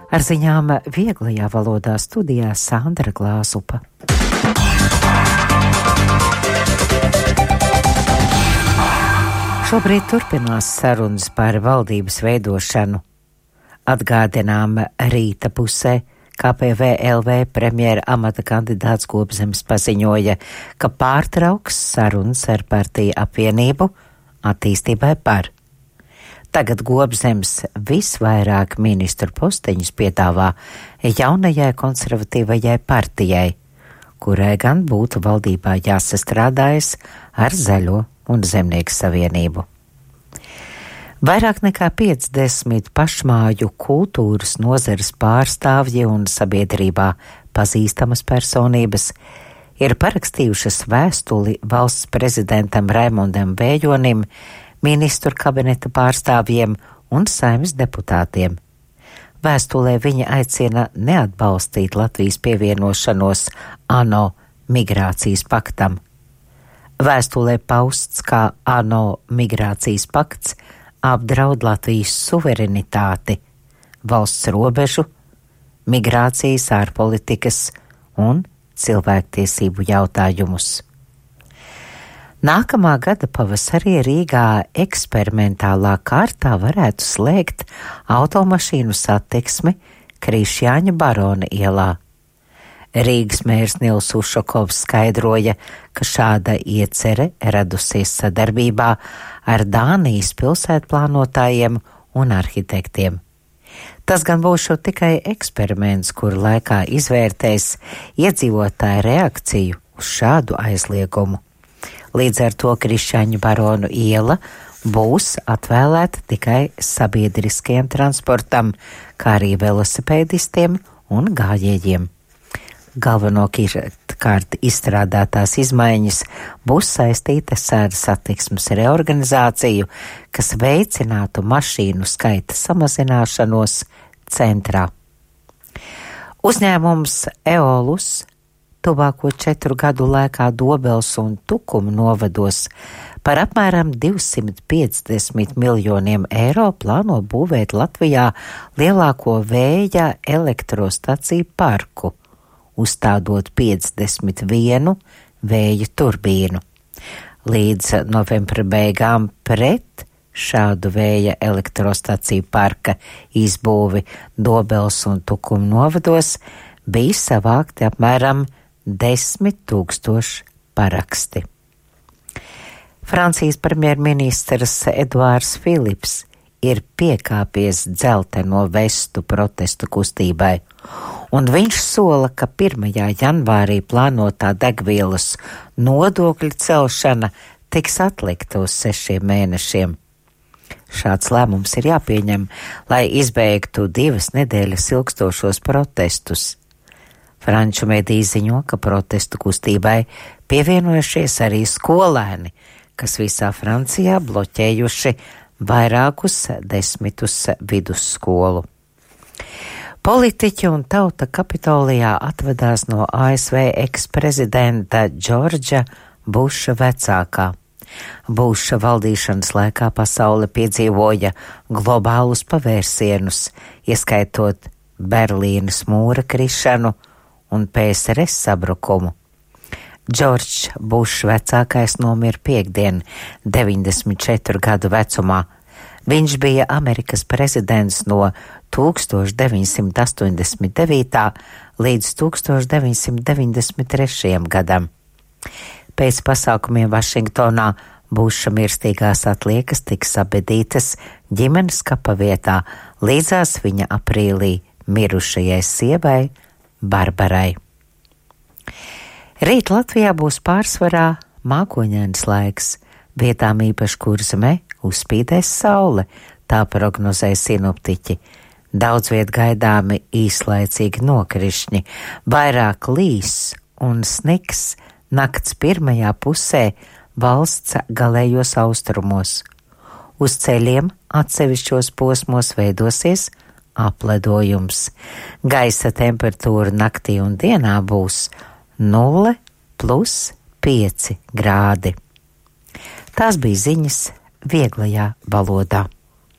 Ar ziņām vieglajā valodā studijā Sandra Glāzupa. Šobrīd turpinās sarunas par valdības veidošanu. Atgādinām rīta pusē KPVLV premjera amata kandidāts Gobzems paziņoja, ka pārtrauks sarunas ar partiju apvienību attīstībai par. Tagad Gobzems visvairāk ministru posteņus piedāvā jaunajai konservatīvajai partijai, kurai gan būtu valdībā jāsastrādājas ar Zaļo un Zemnieku savienību. Vairāk nekā 50 pašmāju kultūras nozares pārstāvji un sabiedrībā pazīstamas personības ir parakstījušas vēstuli valsts prezidentam Raimondam Vējonim, ministru kabineta pārstāvjiem un Saeimas deputātiem. Vēstulē viņa aicina neatbalstīt Latvijas pievienošanos ANO migrācijas paktam. Vēstulē pausts, kā ANO migrācijas pakts apdraud Latvijas suverenitāti, valsts robežu, migrācijas ārpolitikas un cilvēktiesību jautājumus. Nākamā gada pavasarī Rīgā eksperimentālā kārtā varētu slēgt automašīnu satiksmi Krišjāņa Barona ielā. Rīgas mērs Nils Ušakovs skaidroja, ka šāda iecere radusies sadarbībā ar Dānijas pilsētplānotājiem un arhitektiem. Tas gan būs tikai eksperiments, kur laikā izvērtēs iedzīvotāju reakciju uz šādu aizliegumu. Līdz ar to Krišjāņa Baronu iela būs atvēlēta tikai sabiedriskajam transportam, kā arī velosipēdistiem un gājējiem. Galvenokārt izstrādātās izmaiņas būs saistītas ar satiksmes reorganizāciju, kas veicinātu mašīnu skaita samazināšanos centrā. Uzņēmums Eolus tuvāko 4 gadu laikā Dobels un Tukuma novados par apmēram 250 miljoniem eiro plāno būvēt Latvijā lielāko vēja elektrostaciju parku, uzstādot 51 vēja turbīnu. Līdz novembra beigām pret šādu vēja elektrostaciju parka izbūvi Dobels un Tukuma novados bija savākti apmēram 10 000 paraksti. Francijas premjerministrs Eduards Filips ir piekāpies dzelteno vestu protestu kustībai, un viņš sola, ka 1. janvārī plānotā degvielas nodokļu celšana tiks atlikta uz 6 mēnešiem. Šāds lēmums ir jāpieņem, lai izbeigtu 2 nedēļas ilgstošos protestus. Franču mediji ziņo, ka protestu kustībai pievienojušies arī skolēni, kas visā Francijā bloķējuši vairākus 10 vidusskolu. Politiķi un tauta Kapitolijā atvedās no ASV eksprezidenta Džordža Buša vecākā. Buša valdīšanas laikā pasaule piedzīvoja globālus pavērsienus, ieskaitot Berlīnas mūra krišanu un PSRS sabrukumu. Džordžs Bušs vecākais nomira piektdien, 94 gadu vecumā. Viņš bija Amerikas prezidents no 1989. līdz 1993. gadam. Pēc pasākumiem Vašingtonā Buša mirstīgās atliekas tika sabedītas ģimenes kapavietā līdzās viņa aprīlī mirušajai sievai Barbarai. Rīt Latvijā būs pārsvarā mākoņains laiks, vietām īpaši Kurzemē uzspīdēs saule, tā prognozē sinoptiķi. Daudz viet gaidāmi īslaicīgi nokrišņi, vairāk līs un sniks nakts pirmajā pusē valsts galējos austrumos. Uz ceļiem atsevišķos posmos veidosies apledojums. Gaisa temperatūra naktī un dienā būs 0+5 grādi. Tās bija ziņas vieglajā valodā.